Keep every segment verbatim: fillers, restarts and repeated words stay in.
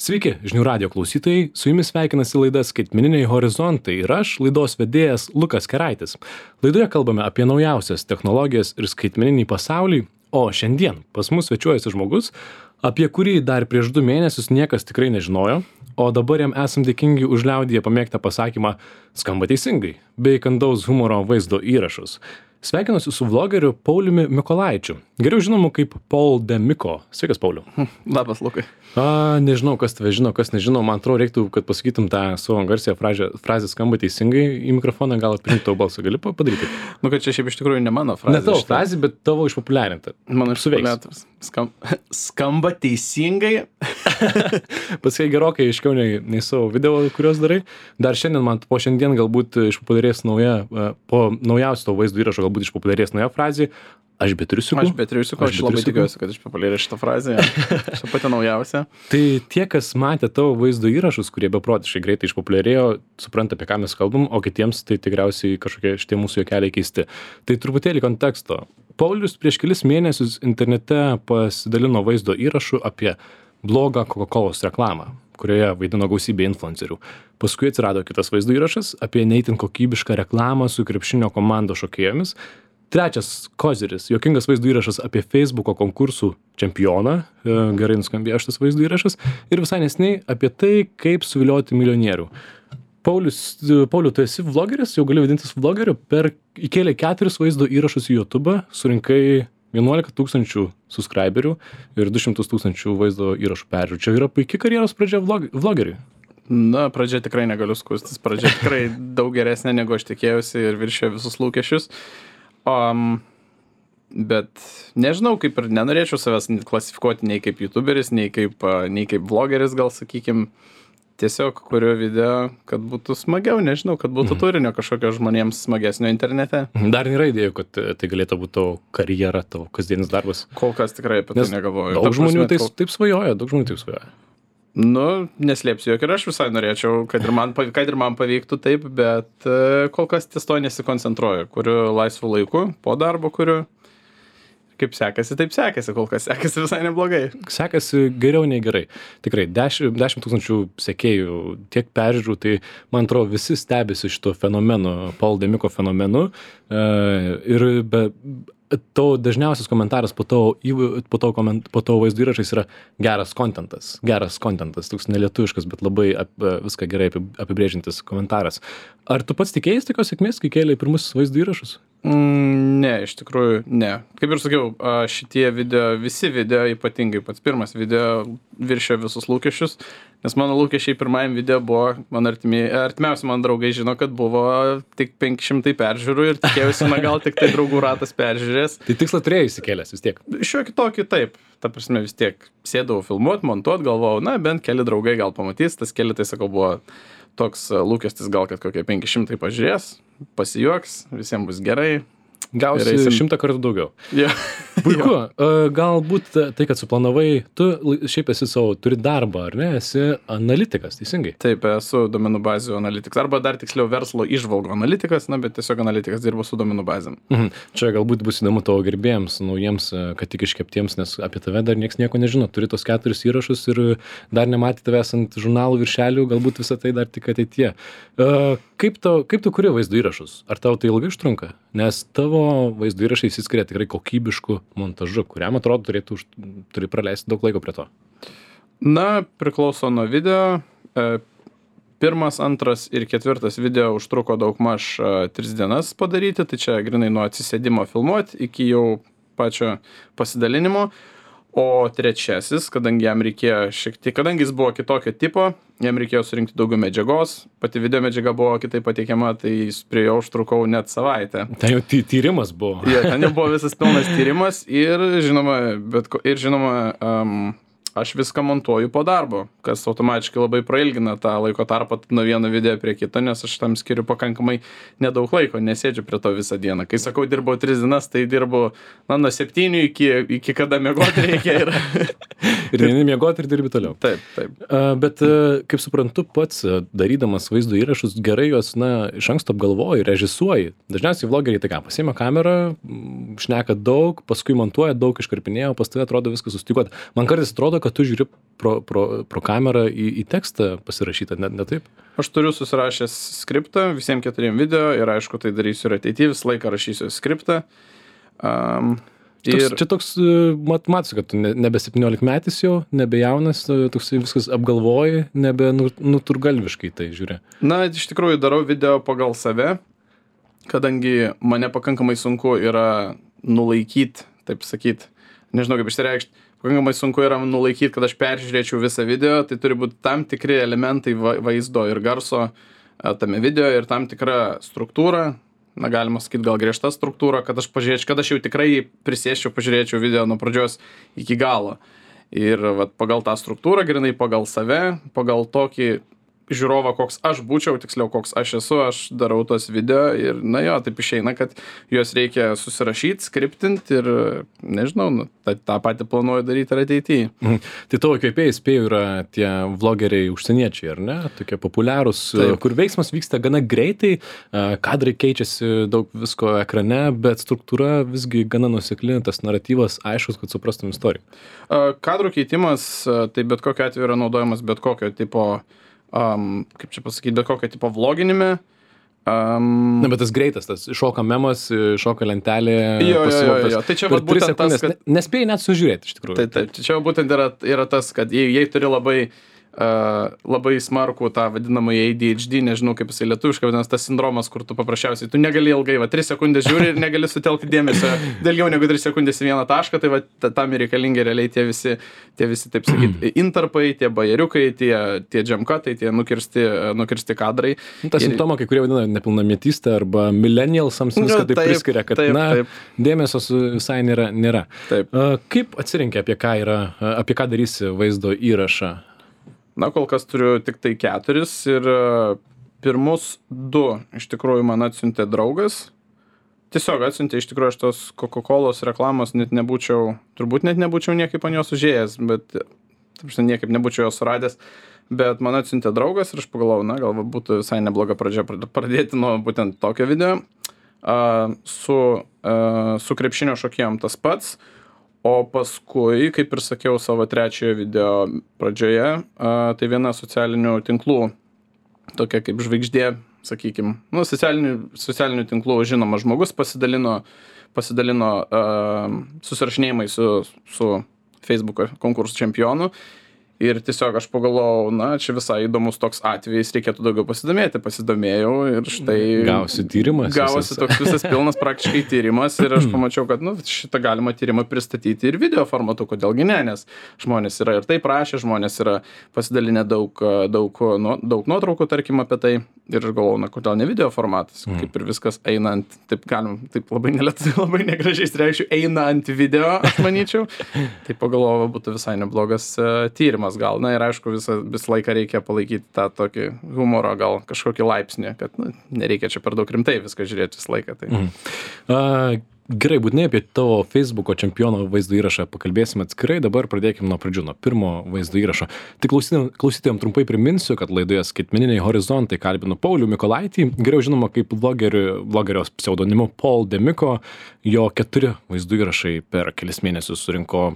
Sveiki, žinių radio klausytojai, su jumis sveikinasi laida Skaitmeniniai horizontai ir aš, laidos vedėjas Lukas Keraitis. Laidoje kalbame apie naujausias technologijas ir skaitmeninį pasaulį, o šiandien pas mus svečiuojasi žmogus, apie kurį dar prieš du mėnesius niekas tikrai nežinojo, o dabar jam esam dėkingi už liaudyje pamėgtą pasakymą skamba teisingai, bei kandaus humoro vaizdo įrašus. Sveikinuosi su vlogeriu Pauliumi Mykolaičiu, geriau žinomu kaip Paul de Miko. Sveikas, Pauliu. Labas, Lukai. A, nežinau, kas tave žino, kas nežino, man atrodo, reiktų, kad pasakytum tą savo garsią frazę, frazę skamba teisingai į mikrofoną, gal atprinti tavo balsą, gali padaryti? Nu, kad čia šiaip iš tikrųjų ne mano frazė. Ne tavo frazė, bet tavo išpopuliarinta. Mano išpopuliarintas. Skam, skamba teisingai. Pasakai gerokai aiškiau nei, nei savo video, kuriuos darai. Dar šiandien man po šiandien galbūt išpopuliarės nauja, po naujausio tavo vaizdo įrašo galbūt išpopuliarės nauja frazė. Aš be triusiukų. Aš be triusiukų, aš, aš labai tikiuosi, kad išpopuliarės šitą frazę. Šitą pati naujausia. Tai tie, kas matė tavo vaizdo įrašus, kurie beprotiškai greitai išpopuliarėjo, supranta, apie ką mes kalbam, o kitiems tai tikriausiai kažkokie šitie mūsų juokeliai keisti. Tai truputėlį konteksto. Paulius prieš kelis mėnesius internete pasidalino vaizdo įrašu apie blogą Coca-Colos reklamą, kurioje vaidino gausybė influencerių. Paskui atsirado kitas vaizdo įrašas apie ne itin kokybišką reklamą su krepšinio komandos šokėjomis. Trečias koziris, juokingas vaizdo įrašas apie Facebooko konkursų čempioną, gerai nuskambėjo šitas vaizdo įrašas, ir visai neseniai apie tai, kaip suvilioti milijonierių. Paulius, Pauliu, tu esi vlogeris, jau gali vadintis vlogeriu, per įkėlė keturis vaizdo įrašus į YouTube, surinkai vienuolika tūkstančių subscriberių ir du šimtus tūkstančių vaizdo įrašų peržiūrų. Čia yra puikia karjeros pradžia vlog, vlogeriui. Na, pradžia tikrai negaliu skustis, pradžia tikrai daug geresnė, negu aš tikėjausi ir viršėjo visus lūkesčius. Um, bet nežinau, kaip ir nenorėčiau savęs klasifikuoti nei kaip youtuberis, nei kaip, nei kaip vlogeris, gal sakykim. Tiesiog kuriu video, kad būtų smagiau, nežinau, kad būtų turinio kažkokio žmonėms smagesnio internete. Dar nėra idėjų, kad tai galėtų būti tavo karjera, tavo kasdienis darbas. Kol kas tikrai apie tai negalvoju. Daug žmonių taip, taip svajoja, daug žmonių taip svajoja. Nu, neslėpsiu, jog ir aš visai norėčiau, kad ir man, kad ir man pavyktų taip, bet kol kas ties to nesikoncentruoju. Kuriu laisvų laikų, po darbo kuriu. Kaip sekasi, taip sekasi, kol kas sekasi visai neblogai. Sekasi geriau nei gerai. Tikrai, dešimt tūkstančių sekėjų, tiek peržiūrų, tai man atrodo visi stebisi šito fenomenu, Paul de Miko fenomenu. Ir be... Tavo dažniausias komentaras po tavo, po tavo, koment, po tavo vaizdo įrašais yra geras kontentas. Geras kontentas, toks nelietuviškas, bet labai ap, viską gerai apibrėžintis komentaras. Ar tu pats tikėjai tokios sėkmės, kai kėlė pirmus vaizdo įrašus? Mm, ne, iš tikrųjų, ne. Kaip ir sakiau, šitie video, visi video, ypatingai pats pirmas video viršė visus lūkesčius, nes mano lūkesčiai pirmajam video buvo, man artimi, artimiausi man draugai žino, kad buvo tik penki šimtai peržiūrų ir tikėjausi, na gal tik tai draugų ratas peržiūrės. Tai tikslą turėjai įsikėlęs vis tiek? Šiuo kitokį taip, ta prasme vis tiek sėdavau filmuot, montuot, galvojau, na bent keli draugai gal pamatys, tas keli, tai sakau, buvo toks lūkestis gal, kad kokie penki šimtai pažiūrės, pasijuoks, visiems bus gerai. Gausi šimtą kartų daugiau. Yeah. Puiku. Yeah. Galbūt tai, kad suplanavai, tu šiaip esi savo, turi darbą, ar ne? Esi analitikas, teisingai? Taip, esu duomenų bazių analitikas. Arba dar tiksliau verslo įžvalgų analitikas, na, bet tiesiog analitikas dirbu su duomenų bazėm. Mhm. Čia galbūt bus įdomu tavo gerbėjams, naujiems, kad tik iškeptiems, nes apie tave dar nieks nieko nežino. Turi tos keturis įrašus ir dar nematė tavęs ant žurnalų viršelių, galbūt visą tai dar tik ateityje. Kaip, tau, kaip tu kuri vaizdo įrašus? Ar tau tai ilgai užtrunka? Nes tavo vaizdo įrašai įsiskiria tikrai kokybišku montažu, kuriam atrodo turėtų už, turi praleisti daug laiko prie to. Na, priklauso nuo video. Pirmas, antras ir ketvirtas video užtruko daugmaž tris dienas padaryti, tai čia grinai nuo atsisėdimo filmuoti iki jau pačio pasidalinimo. O trečiasis, kadangi jam reikėjo šiek tiek, kadangi jis buvo kitokio tipo, jam reikėjo surinkti daugiau medžiagos, pati video medžiaga buvo kitaip pateikiama, tai prie jo užtrukau net savaitę. Ten jau ty tyrimas buvo. Ja, ten jau buvo visas pilnas tyrimas ir žinoma, bet, ir žinoma um, aš viską montuoju po darbo, kas automatiškai labai prailgina tą laiko tarpą nuo vieno video prie kito, nes aš tam skiriu pakankamai nedaug laiko, nesėdžiu prie to visą dieną. Kai sakau, dirbau tris dienas, tai dirbu na, nuo septynių iki, iki kada miegoti reikia. Ir, ir neini miegoti ir dirbi toliau. Taip, taip. Uh, bet, uh, kaip suprantu, pats uh, darydamas vaizdo įrašus, gerai juos, na, iš anksto apgalvoji, režisuoji. Dažniausiai vlogeriai tai ką, pasiima kamerą, šneka daug, paskui montuoja daug, iškarpinėjo, pas tave atrodo viskas sustikuot. Man kartais atrodo, kad tu žiūri pro, pro, pro kamerą į, į tekstą pasirašytą, ne, ne taip? Aš turiu susirašęs skriptą visiems keturiem video ir aišku, tai darysiu ir ateityje, visą laiką rašysiu skriptą. Um, Toks, ir... Čia toks, mat, matosi, kad tu ne, nebe septyniolikmetis jau, nebe jaunas, toks viskas apgalvoji, nebe nuturgalviškai tai žiūri. Na, iš tikrųjų darau video pagal save, kadangi mane pakankamai sunku yra nulaikyti, taip sakyt, nežinau kaip išsireikšti, pakankamai sunku yra nulaikyti, kad aš peržiūrėčiau visą video, tai turi būti tam tikri elementai vaizdo ir garso tame video ir tam tikra struktūra, na galima sakyti gal griežta struktūra, kad aš pažiūrėčiau, kad aš jau tikrai prisėsčiau, pažiūrėčiau video nuo pradžios iki galo. Ir vat, pagal tą struktūrą, grinai pagal save, pagal tokį žiūrovą, koks aš būčiau, tiksliau, koks aš esu, aš darau tos video ir, na jo, taip išeina, kad juos reikia susirašyti, skriptinti ir, nežinau, nu, tą, tą patį planuoju daryti ir ateityje. Mhm. Tai tavo įkvėpėjai, spėju, yra tie vlogeriai užsieniečiai, ar ne? Tokie populiarūs, taip, kur veiksmas vyksta gana greitai, kadrai keičiasi daug visko ekrane, bet struktūra visgi gana nuosekli, tas naratyvas aiškus, kad suprastum istoriją. Kadrų keitimas, tai bet kokiu atveju yra naudojamas bet kokio tipo Um, kaip čia pasakyti, bet kokio tipo vloginime. Um, Na, bet tas greitas, tas šoka memas, šoka lentelė. Jo, jo, jo, jo. Tai čia vat būtent tas, kad... Nespėjai net sužiūrėti, iš tikrųjų. Tai, tai čia būtent yra, yra tas, kad jei, jei turi labai, uh, labai smarkų tą vadinamą A D H D, nežinau kaip jisai lietuviškai, vadinasi tas sindromas, kur tu paprasčiausiai, tu negali ilgai, va, tris sekundės žiūri ir negali sutelkti dėmesio daugiau negu tris sekundės į vieną tašką, tai va, tam ir reikalingi realiai tie visi, tie visi, taip sakyti, intarpai, tie bajeriukai, tie, tie džemkatai, tie nukirsti, nukirsti kadrai. Ta ir... simptoma, kai kurie vadina nepilnametystė arba millennialsams viską taip, taip priskiria, kad taip, na, taip. Dėmesio visai nėra. nėra. Taip. Uh, kaip atsirinkė, apie ką yra, apie ką darysi vaizdo įrašą? Na, kol kas turiu tik tai keturis ir pirmus du iš tikrųjų man atsiuntė draugas. Tiesiog atsiuntė, iš tikrųjų aš tos Coca-Colos reklamos net nebūčiau, turbūt net nebūčiau niekaip ant jos užėjęs, bet taip, niekaip nebūčiau jos suradęs. Bet man atsiuntė draugas ir aš pagalvojau, na, gal būtų visai nebloga pradžia pradėti nuo būtent tokio video. Uh, su, uh, su krepšinio šokėjom tas pats. O paskui, kaip ir sakiau savo trečiojo video pradžioje, a, tai viena socialinių tinklų, tokia kaip žvaigždė, sakykim, nu, socialinių, socialinių tinklų žinomas žmogus pasidalino, pasidalino a, susirašinėjimai su, su Facebook'o konkursų čempionu. Ir tiesiog aš pagalvojau, na, čia visai įdomus toks atvejis, reikėtų daugiau pasidomėti, pasidomėjau ir štai... Gausi tyrimas. Gausi toks visas pilnas praktiškai tyrimas ir aš pamačiau, kad, nu, šitą galima tyrimą pristatyti ir video formatu, kodėlgi ne, nes žmonės yra ir taip rašė, žmonės yra pasidalinę daug, daug, nu, daug nuotraukų, tarkim, apie tai ir aš galvojau, na, kodėl ne video formatas, mm. kaip ir viskas einant, taip galim, taip labai nelietuviai, labai negražiai streikščiau, einant video, aš manyčiau, tai pagalvojau, būtų visai neblogas uh, tyrimas. Gal, na ir aišku, visą, visą laiką reikia palaikyti tą tokį humoro, gal kažkokį laipsnį, kad nu, nereikia čia per daug rimtai viską žiūrėti visą laiką. Tai. Mhm. Uh, gerai, būtinai apie tavo Facebook'o čempiono vaizdo įrašą pakalbėsime atskirai, dabar pradėkime nuo pradžių, nuo pirmo vaizdo įrašo. Tik klausytėjom trumpai priminsiu, kad laidoje Skaitmeniniai horizontai kalbinu Paulių Mikolaitį, geriau žinoma kaip vlogerio pseudonimu Paul Demiko, jo keturi vaizdo įrašai per kelis mėnesius surinko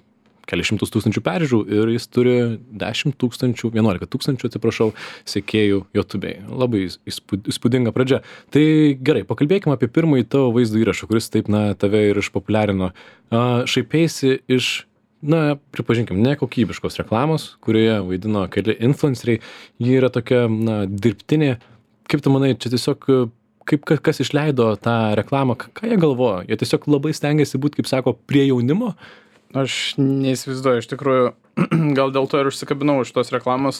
kelias šimtus tūkstančių peržiūrų ir jis turi dešimt tūkstančių, vienuolika tūkstančių, atsiprašau, sekėjų YouTube'ai. Labai įspūdinga pradžia. Tai gerai, pakalbėkime apie pirmąjį tavo vaizdo įrašą, kuris taip, na, tave ir išpopuliarino. Šaipėsi iš, na, pripažinkim, nekokybiškos reklamos, kurioje vaidino keli influenceriai. Ji yra tokia, na, dirbtinė. Kaip tu manai, čia tiesiog... Kaip, kas išleido tą reklamą, ką jie galvojo? Jie tiesiog labai stengiasi būti, kaip sako, prie jaunimo? Aš neįsivaizduoju, iš tikrųjų, gal dėl to ir užsikabinau iš tos reklamos,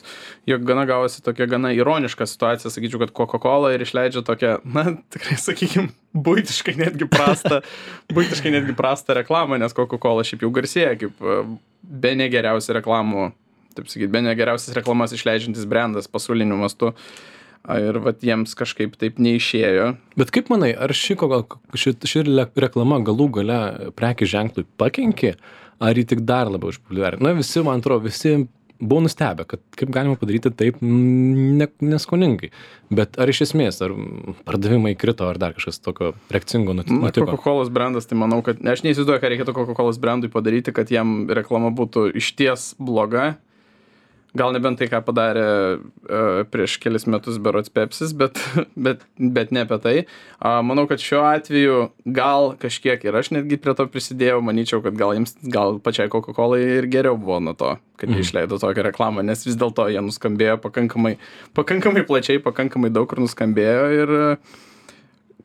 jog gana gavosi tokia gana ironiška situacija, sakyčiau, kad Coca-Cola ir išleidžia tokią, na, tikrai, sakykim, buitiškai netgi prastą, buitiškai netgi prastą reklamą, nes Coca-Cola šiaip jau garsėja kaip bene geriausia reklamų, taip sakyti, bene geriausias reklamas išleidžiantis brandas pasauliniu mastu. Ir vat jiems kažkaip taip neišėjo. Bet kaip manai, ar ši, ši, ši reklama galų gale prekių ženklui pakenkė, ar jį tik dar labiau išpopuliarino? Na, visi, man atrodo, visi buvau nustebę, kad kaip galima padaryti taip ne, neskoningai. Bet ar iš esmės, ar pardavimai krito, ar dar kažkas tokio reakcingo nutiko? Na, Coca-Cola brandas, tai manau, kad aš neįsivaizduoju, ką reikėtų Coca-Cola brandui padaryti, kad jam reklama būtų išties bloga. Gal nebent tai, ką padarė uh, prieš kelis metus berods Pepsis, bet, bet, bet ne apie tai. Uh, manau, kad šiuo atveju gal kažkiek ir aš netgi prie to prisidėjau, manyčiau, kad gal jiems, gal pačiai Coca-Cola ir geriau buvo nuo to, kad jie išleido tokią reklamą, nes vis dėlto jie nuskambėjo pakankamai, pakankamai plačiai, pakankamai daug kur nuskambėjo ir uh,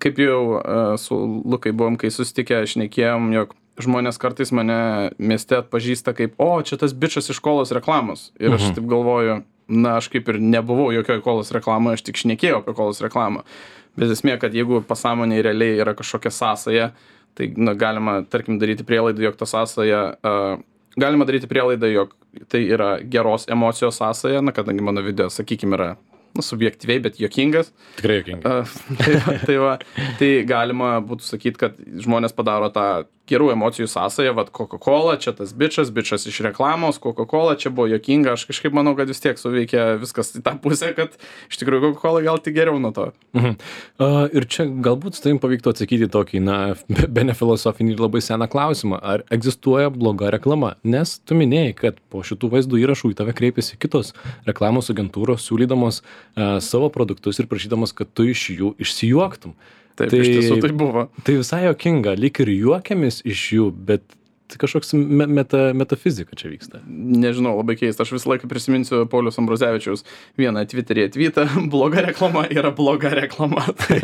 kaip jau uh, su Lukai buvom, kai susitikę, šnekėjom, jog žmonės kartais mane mieste atpažįsta kaip, o, čia tas bičas iš kolos reklamos. Ir aš taip galvoju, na, aš kaip ir nebuvau jokioj kolos reklamoje, aš tik šnekėjau apie kolos reklamą. Bet esmė, kad jeigu pasąmonėje realiai yra kažkokia sąsaja, tai na, galima, tarkim, daryti prielaidą, jog ta sąsaja, uh, galima daryti prielaidą, jog tai yra geros emocijos sąsaja, na, kadangi mano video, sakykime, yra nu, subjektyviai, bet juokingas. Tikrai juokingas. Uh, tai, tai, va, tai galima būtų sakyti, kad žmonės padaro tą gerų emocijų sąsają, vat Coca-Cola, čia tas bičas, bičas iš reklamos, Coca-Cola, čia buvo juokinga, aš kažkaip manau, kad vis tiek suveikia viskas į tą pusę, kad iš tikrųjų Coca-Cola gal tik geriau nuo to. Mhm. Uh, ir čia galbūt su tavim pavyktų atsakyti tokį, na, bene filosofinį ir labai seną klausimą, ar egzistuoja bloga reklama? Nes tu minėjai, kad po šitų vaizdų įrašų į tave kreipėsi kitos reklamos agentūros, siūlydamos uh, savo produktus ir prašydamos, kad tu iš jų išsijuoktum. Taip, tai, iš tiesų tai buvo. Tai visai juokinga, lyg ir juokiamės iš jų, bet kažkoks me, meta, metafizika čia vyksta. Nežinau, labai keista. Aš visą laiką prisiminsiu Pauliaus Ambruzevičiaus vieną Twitter'yje tweetą, bloga reklama yra bloga reklama. Tai,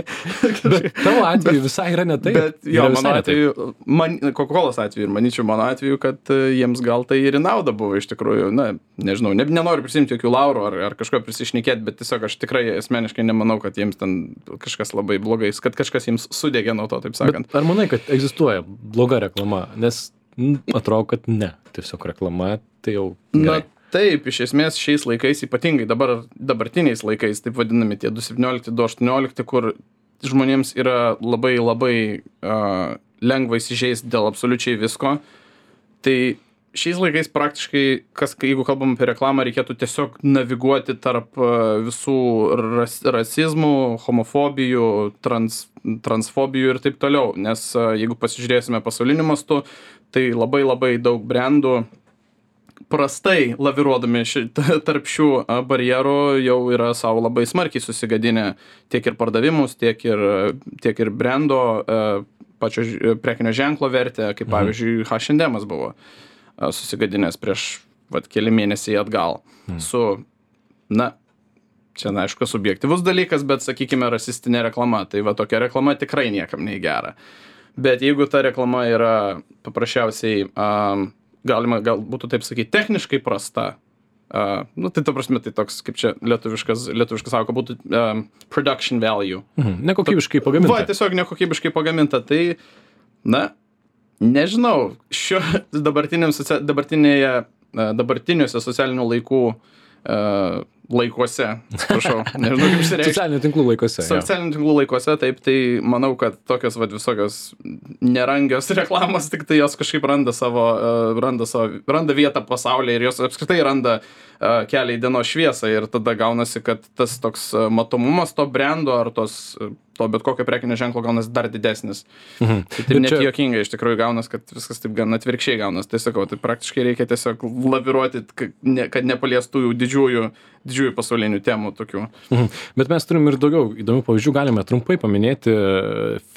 bet tavo atveju bet, visai yra ne taip. Bet jo, mano atveju, man, Coca-Colos atveju ir manyčiau mano atveju, kad jiems gal tai ir į naudą buvo iš tikrųjų. Na, nežinau, ne, nenoriu prisimti jokių laurų ar, ar kažko prisišnekėti, bet tiesiog aš tikrai asmeniškai nemanau, kad jiems ten kažkas labai blogais, kad kažkas jiems sudegė nuo to, taip sakant. Bet ar manai, kad egzistuoja bloga reklama? Nes atrodo, kad ne. Tiesiog reklama, tai jau gerai. Na, taip, iš esmės šiais laikais, ypatingai dabar, dabartiniais laikais, taip vadinami tie du septyniolikti, du aštuoniolikti, kur žmonėms yra labai, labai uh, lengva įsižeisti dėl absoliučiai visko. Tai šiais laikais praktiškai, kas, jeigu kalbam apie reklamą, reikėtų tiesiog naviguoti tarp uh, visų ras, rasizmų, homofobijų, trans, transfobijų ir taip toliau. Nes uh, jeigu pasižiūrėsime pasauliniu mastu, tai labai labai daug brandų prastai laviruodami ši, tarp šių barjerų jau yra savo labai smarkiai susigadinę tiek ir pardavimus, tiek ir, tiek ir brando pačio prekinio ženklo vertę, kaip pavyzdžiui H and M buvo susigadinęs prieš vat, keli mėnesiai atgal. Mhm. Su, na, čia, na, aišku, subjektyvus dalykas, bet, sakykime, rasistinė reklama. Tai va, tokia reklama tikrai niekam nei gera. Bet jeigu ta reklama yra paprasčiausiai, um, galima, gal būtų taip sakyti, techniškai prasta, uh, nu, tai ta prasme, tai toks, kaip čia lietuviškas, lietuviškas sako, būtų um, production value. Mhm. Nekokybiškai pagaminta. Va, tiesiog nekokybiškai pagaminta. Tai, na, nežinau, šio dabartinėje, dabartiniuose socialinių laikų uh, laikuose, atsiprašau, nežinau kaip išsireikšti. Socialinių tinklų laikuose. Socialinių tinklų laikuose, taip, tai manau, kad tokios va, visokios nerangios reklamos, tik tai jos kažkaip randa savo, uh, randa, savo, randa vietą pasaulyje ir jos apskritai randa uh, kelią į dienos šviesą ir tada gaunasi, kad tas toks uh, matomumas to brando ar tos, uh, to bet kokio prekinio ženklo gaunasi dar didesnis. Mhm. Tai taip net čia... juokingai iš tikrųjų gaunas, kad viskas taip gan atvirkščiai gaunas. Tai sakau, tai praktiškai reikia tiesiog laviruoti, kad, ne, kad nepaliestų jų didžiųjų, didžiųjų pasaulinių temų tokių. Mhm. Bet mes turim ir daugiau įdomių pavyzdžių, galime trumpai paminėti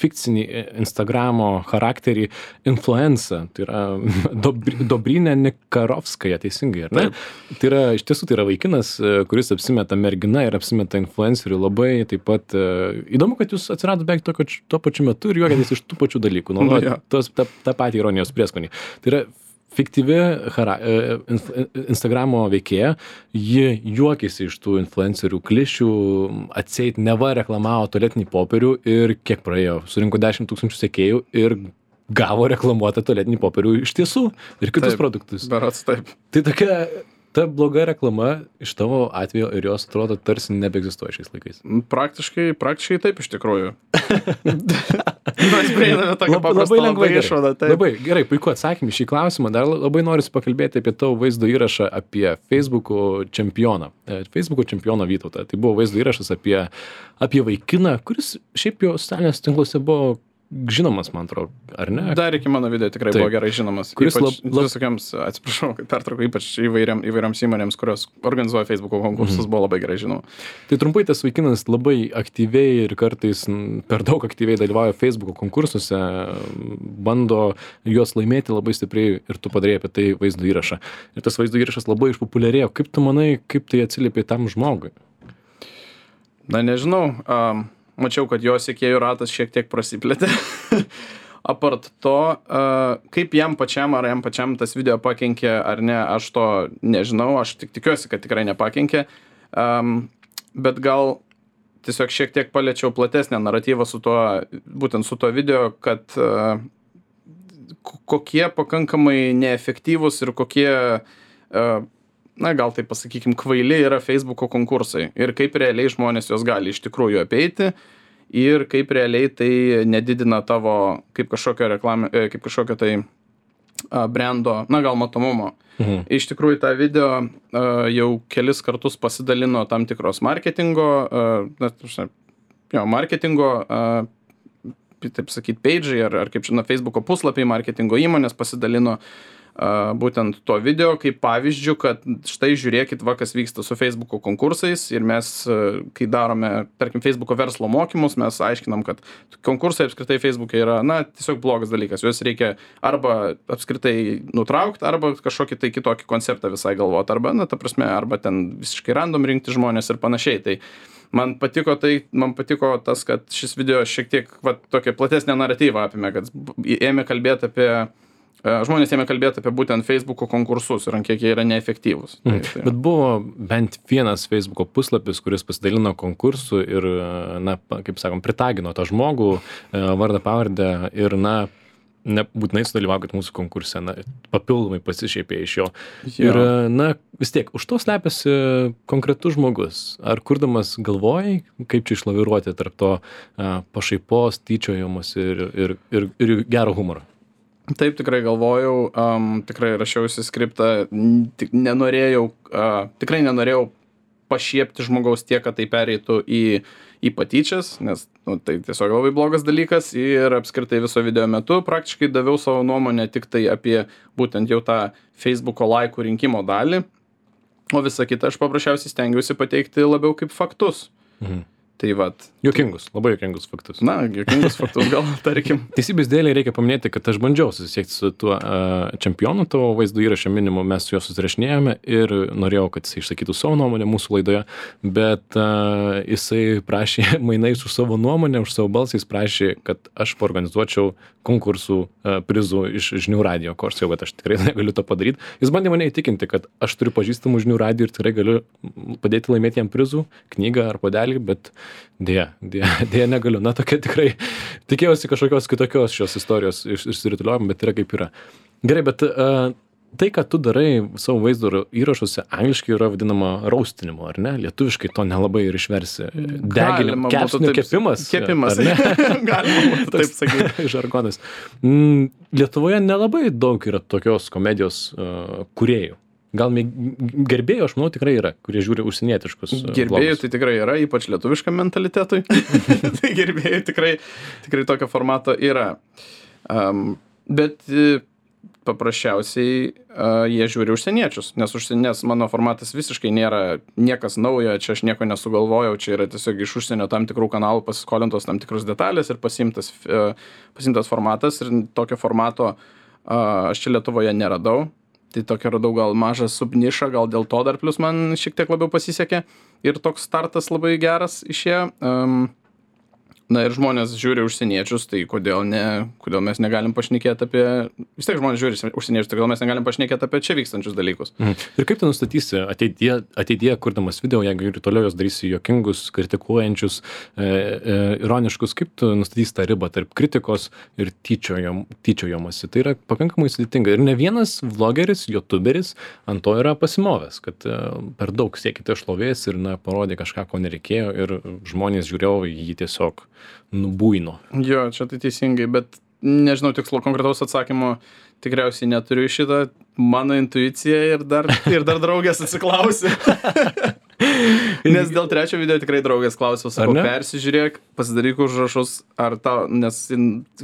fikcinį Instagramo charakterį influencer. Tai yra Dobr- Dobrynė Nikarovskaja, teisingai, ar ne? Taip. Tai yra, iš tiesų, tai yra vaikinas, kuris apsimeta mergina ir apsimeta influenceriu labai taip pat įdomu, kad jūs atsirado beveik tuo, tuo pačiu metu ir juokėtės iš tų pačių dalykų, nu, ja. tos, ta, tą patį ironijos prieskonį. Tai yra fiktyvi hara, Instagramo veikėja, ji juokėsi iš tų influencerių klišių, atseit neva reklamavo tualetinį popierių ir kiek praėjo, surinko dešimt tūkstančių sekėjų ir gavo reklamuotą tualetinį popierių iš tiesų ir kitus taip, produktus. Berods taip. Tai tokia... Ta bloga reklama iš tavo atveju ir jos atrodo tarsi nebeegzistuoja šiais laikais. Praktiškai, praktiškai taip iš tikrųjų. Mes prieiname tokią Labai, paprastą labai lengvai gerai. išvadą. Taip. Labai gerai, puiku atsakymai šį klausimą. Dar labai noriu pakalbėti apie tavo vaizdo įrašą apie Facebook'o čempioną. E, Facebook'o čempioną Vytautą. Tai buvo vaizdo įrašas apie, apie vaikiną, kuris šiaip jo socialiniuose tinkluose buvo žinomas, man atrodo, ar ne? Dar iki mano video tikrai Taip. buvo gerai žinomas. Kuris Ypač lab- lab- visokiams, atsiprašau, kad pertraukiau, ypač įvairiam, įvairiams įmonėms, kurios organizuoja Facebook'o konkursus, buvo labai gerai žinoma. Tai trumpai tas vaikinas labai aktyviai ir kartais m, per daug aktyviai dalyvauja Facebook'o konkursuose, bando juos laimėti labai stipriai ir tu padarėjai apie tai vaizdo įrašą. Ir tas vaizdo įrašas labai išpopuliarėjo. Kaip tu manai, kaip tai atsiliepė tam žmogui? Na, nežinau. Um, mačiau, kad jo sekėjų ratas šiek tiek prasiplėtė. Apart to, uh, kaip jam pačiam, ar jam pačiam tas video pakenkė ar ne, aš to nežinau, aš tik tikiuosi, kad tikrai nepakenkė. Um, bet gal tiesiog šiek tiek paliečiau platesnę naratyvą su tuo, būtent su tuo video, kad uh, kokie pakankamai neefektyvūs ir kokie, uh, na gal tai pasakykim, kvaili yra Facebook'o konkursai ir kaip realiai žmonės juos gali iš tikrųjų apeiti ir kaip realiai tai nedidina tavo kaip kažkokio reklamio, kaip kažkokio tai uh, brando, na gal matomumo. Mhm. Iš tikrųjų tą video uh, jau kelis kartus pasidalino tam tikros marketingo, uh, na, jo, marketingo, uh, taip sakyt, page'ai ar, ar kaip žinoma, Facebook'o puslapiai, marketingo įmonės pasidalino uh, būtent to video kaip pavyzdžių, kad štai žiūrėkit, va, kas vyksta su Facebook'o konkursais ir mes, uh, kai darome, tarkim, Facebook'o verslo mokymus, mes aiškinam, kad konkursai apskritai Facebook'e yra, na, tiesiog blogas dalykas. Juos reikia arba apskritai nutraukti, arba kažkokį tai kitokį konceptą visai galvoti, arba, na, ta prasme, arba ten visiškai random rinkti žmonės ir panašiai. Tai man patiko tai, man patiko tas, kad šis video šiek tiek, va, tokią platesnę naratyvą apėmė, kad ėmė kalbėti apie žmonės ėmė kalbėti apie būtent Facebook'o konkursus ir ant kiek jie yra neefektyvūs. Tai, tai. Bet buvo bent vienas Facebook'o puslapis, kuris pasidalino konkursu ir, na, kaip sakom, pritagino tą žmogų, vardą, pavardę ir, na, nebūtinai sudalyvaukit mūsų konkurse, na, papildomai pasišiepė iš jo. Jo. Ir, na, vis tiek, už to slepiasi konkretus žmogus. Ar kurdamas galvojai, kaip čia išlaviruoti tarp to a, pašaipos, tyčiojimus ir, ir, ir, ir gero humoro? Taip, tikrai galvojau, um, tikrai rašiausi skriptą, n- tik nenorėjau, uh, tikrai nenorėjau pašiepti žmogaus tiek, kad tai pereitų į, į patyčias, nes nu, tai tiesiog labai blogas dalykas ir apskritai viso video metu praktiškai daviau savo nuomonę tik tai apie būtent jau tą Facebook'o laikų rinkimo dalį, o visą kitą aš paprasčiausiai stengiausi pateikti labiau kaip faktus. Mhm. Tai vat, Juokingus, labai juokingus faktus. na, juokingus faktus gal, tarkim. Teisybės dėlei reikia paminėti, kad aš bandžiau susisiekti su tuo uh, čempionu, tavo vaizdo įrašą minimu, mes su juo susirašinėjome ir norėjau, kad jis išsakytų savo nuomonę mūsų laidoje, bet uh, jisai prašė mainais už savo nuomonę, už savo balsą, jis prašė, kad aš paorganizuočiau konkursų uh, prizų iš žinių radijo, ko aš sakiau, kad aš tikrai negaliu to padaryti. Jis bandė mane įtikinti, kad aš turiu pažįstamų žinių radijo ir tikrai galiu padėti laimėti jam prizų, knygą ar puodelį, bet dėja, dėja, dėja negaliu. Na, tokia tikrai tikėjausi kažkokios kitokios šios istorijos iš, išsirutuliojom, bet yra kaip yra. Gerai, bet uh, tai, ką tu darai savo vaizdo įrašuose, angliškai yra vadinama roastinimu, ar ne? Lietuviškai to nelabai ir išversi. Deginimo, Galima būtų kepsnių taip- kepimas. Kepimas. ar ne? Galima būtų taip sakyti. Žargonas. Mm, Lietuvoje nelabai daug yra tokios komedijos uh, kūrėjų. Gal mėg- gerbėjų, aš manau, tikrai yra, kurie žiūri užsienietiškus. uh, Gerbėjų vlogus. tai tikrai yra, ypač lietuviškam mentalitetui. Tai gerbėjų tikrai, tikrai tokio formato yra. Um, bet e, paprasčiausiai uh, jie žiūri užsieniečius, nes, užsien, nes mano formatas visiškai nėra niekas naujo, čia aš nieko nesugalvojau, čia yra tiesiog iš užsienio tam tikrų kanalų pasiskolintos tam tikrus detalės ir pasimtas, uh, pasimtas formatas ir tokio formato uh, aš čia Lietuvoje neradau. Tai tokia radau gal mažą subnišą, gal dėl to dar plus man šiek tiek labiau pasisekė ir toks startas labai geras išėjo. Um, na ir žmonės žiūri užsieniečius, tai kodėl ne, kodėl mes negalim pašnekėti apie, vis tiek žmonės žiūri užsieniečius, tai kodėl mes negalim pašnekėti apie čia vykstančius dalykus. Mhm. Ir kaip tu nustatysi ateityje, ateityje kurdamas video, jeigu ir toliau jos darysi juokingus, kritikuojančius, e, e, ironiškus, kaip tu nustatysi tą ribą tarp kritikos ir tyčiojom, tyčiojomasi? Tai yra pakankamai sudėtinga. Ir ne vienas vlogeris, youtuberis ant to yra pasimovęs, kad e, per daug siekite šlovės ir na, parodė kažką, ko nereikėjo ir žmonės žiūrėjo į jį tiesiog nubuino. Jo, čia tai teisingai, bet nežinau tikslo konkretaus atsakymo, tikriausiai neturiu šitą, mano intuicija ir dar, ir dar draugės atsiklausė. Nes dėl trečio video tikrai draugės klausiau, sakau, persižiūrėk, pasidaryk užrašus, ar tau, nes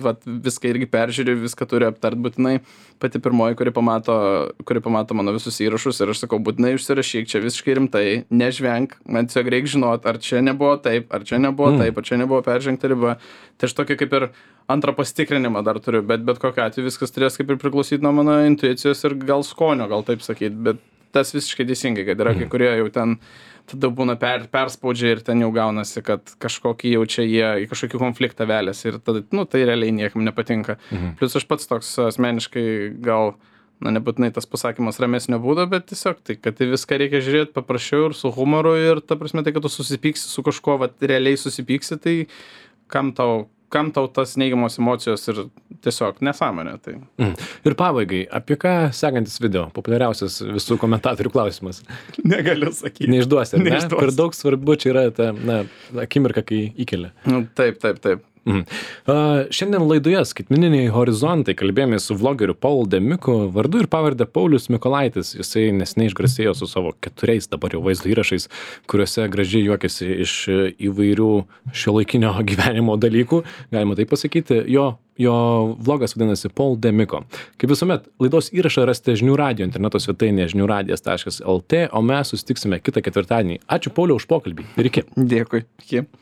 vat, viską irgi peržiūri, viską turi aptart būtinai. Pati pirmoji, kuri pamato, kuri pamato mano visus įrašus ir aš sakau, būtinai užsirašyk, čia visiškai rimtai, nežvenk, man tiesiog reikia žinot, ar čia nebuvo taip, ar čia nebuvo mm. taip, ar čia nebuvo peržengta riba. Tai aš tokį kaip ir antrą pasitikrinimą dar turiu, bet bet kokiu atveju viskas turės kaip ir priklausyti nuo mano intuicijos ir gal skonio, gal taip sakyt, bet tas visiškai teisingai, kad yra kai kurie jau ten tada būna per, perspaudžia ir ten jau gaunasi, kad kažkokį jau čia jie į kažkokį konfliktą veliasi ir tada, nu, tai realiai niekam nepatinka. Mhm. Plius aš pats toks asmeniškai gal, na, nebūtinai tas pasakymas ramesnio būdo, bet tiesiog tai, kad tai viską reikia žiūrėti paprasčiau ir su humoru ir ta prasme tai, kad tu susipyksi su kažkuo, va, realiai susipyksi, tai kam tau kam tau tas neigiamos emocijos ir tiesiog nesąmonė. Tai. Mm. Ir pabaigai, apie ką sekantis video, populiariausias visų komentatorių klausimas? Negaliu sakyti. Neišduosi, ne? Neišduosi. Per daug svarbu čia yra ta, na, akimirka, kai įkelia. Nu, taip, taip, taip. Mhm. Uh, šiandien laidoje Skaitmeniniai horizontai kalbėjome su vlogeriu Paul Demiku, vardu ir pavardę Paulius Mykolaitis. Jisai neseniai išgarsėjo su savo keturiais dabar jau vaizdo įrašais, kuriuose gražiai juokiasi iš įvairių šiuolaikinio gyvenimo dalykų, galima taip pasakyti. Jo, jo vlogas vadinasi Paul Demiko. Kaip visuomet, laidos įrašą rasite žinių radijo interneto svetainėje žinių radijas taškas lt, o mes susitiksime kitą ketvirtadienį. Ačiū Pauliau už pokalbį ir iki. Dėkui. Iki.